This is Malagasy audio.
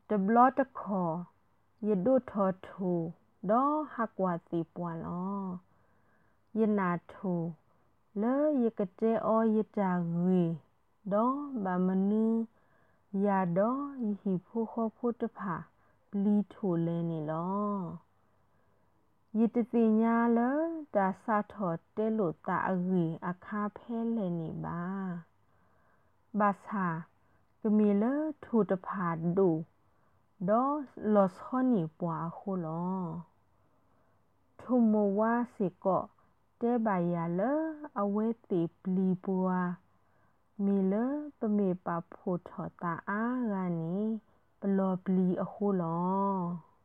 တဘလော့တခေါ်ယဒုထောထူဒေါဟကွာတိပွာလောယနာထူလေယကတဲအောယတာဂွေဒေါဗမနုယာဒေါယဟိဖိုခောဖိုတဖာပလီထူလဲနေလောယတတိညာလတာစာထောတဲလိုတာအဂီအခါဖဲလဲနေပါဘာသာကမီလထူတဖာဒူဒေါလောစောနီပွားခုလောထုမဝါစီကောတဲပါရလအဝဲတိပလီပွားမီလပမေပါဖို့ထောတာအာဂာနီပလောပလီအခုလော။